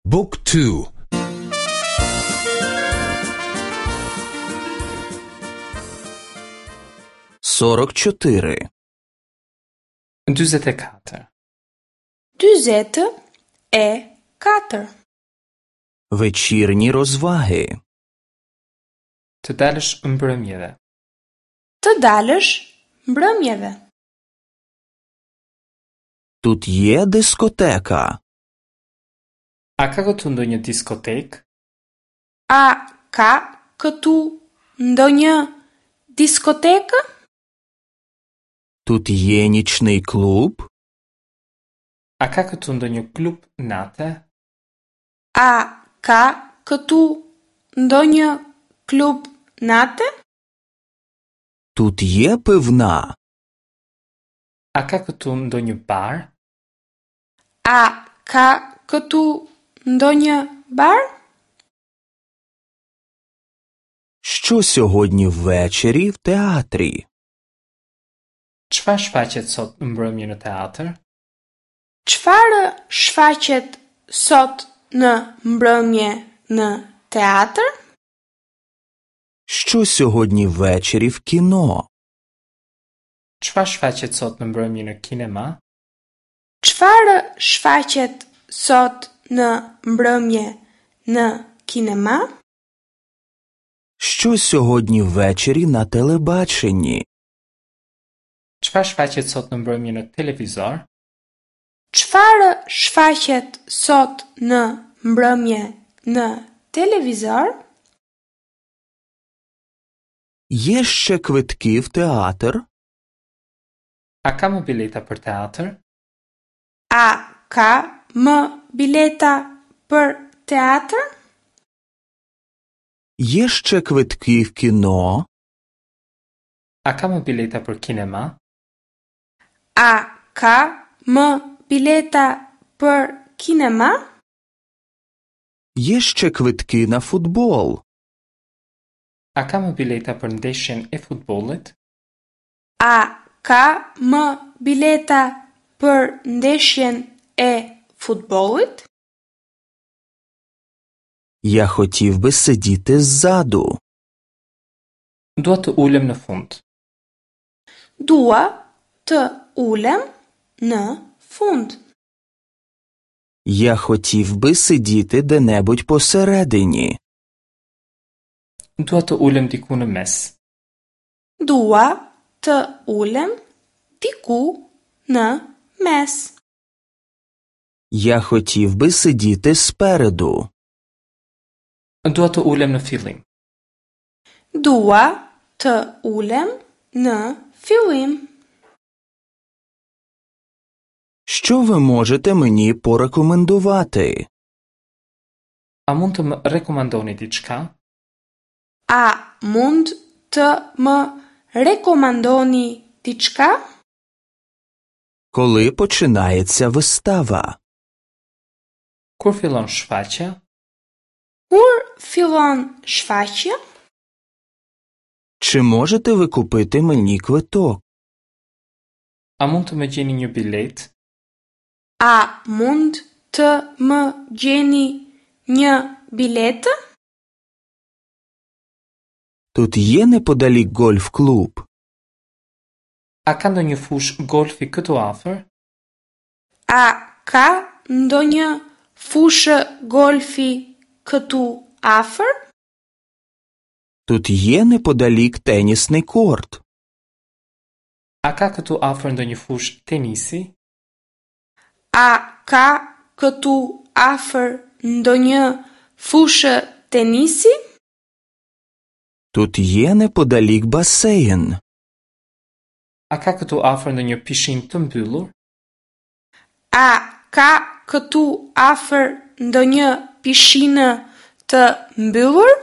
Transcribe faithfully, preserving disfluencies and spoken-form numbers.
Book two. Сорок чотири. Dyzet e katër. Dyzet e katër. Вечірні розваги. Të dalësh mbrëmjeve. Të dalësh mbrëmjeve. Тут є дискотека. A ka këtu ndonjë diskotekë? A ka këtu ndonjë diskotekë? Тут є нічний клуб. A ka këtu ndonjë klub nate? A ka këtu ndonjë klub nate? Тут є пивна. A ka këtu ndonjë bar? A ka këtu ndonjë bar? Що сьогодні ввечері в театрі? Çfarë shfaqet sot në mbrëmje në teatr? Çfarë shfaqet sot në mbrëmje në teatr? Що сьогодні ввечері в кіно? Çfarë shfaqet sot në mbrëmje në kinema? Çfarë shfaqet sot në mbrëmje në kinema? Що сьогодні ввечері на телебаченні? Çfarë shfaqet sot në mbrëmje në televizor? Çfarë shfaqet sot në mbrëmje në televizor? Є ще квитки в театр? A ka më bileta për teatr? A ka më bileta për teatr? Є ще квитки в кіно? A ka më bileta për kinema? A ka më bileta për kinema? Є ще квитки на футбол? A ka më bileta për ndeshjen e futbollit? A ka më bileta për ndeshjen e futbollit? Я хотів би сидіти ззаду. Dua të ulem në fund. Dua të ulem në fund. Я хотів би сидіти де-небудь посередині. Dua të ulem diku në mes. Dua të ulem diku në mes. Я хотів би сидіти спереду. Dua të ulem në fillim. Dua të ulem në fillim. Що ви можете мені порекомендувати? A mund të më rekomandoni diçka? A mund të më rekomandoni diçka? Коли починається вистава? Kur fillon shfaqja? Kur fillon shfaqja? Чи можете ви купити мені квиток? A mund të më gjeni një bilet? A mund të më gjeni një biletë? Тут є неподалік гольф-клуб? A ka ndonjë fushë golfi këtu afër? A ka ndonjë fushë golfi këtu afër? Тут є неподалік тенісний корт? A ka këtu afër ndonjë fushë tenisi? A ka këtu afër ndonjë fushë tenisi? Тут є неподалік басейн? A ka këtu afër ndonjë pishinë të mbyllur? A ka këtu afër ndonjë pishinë të mbyllur?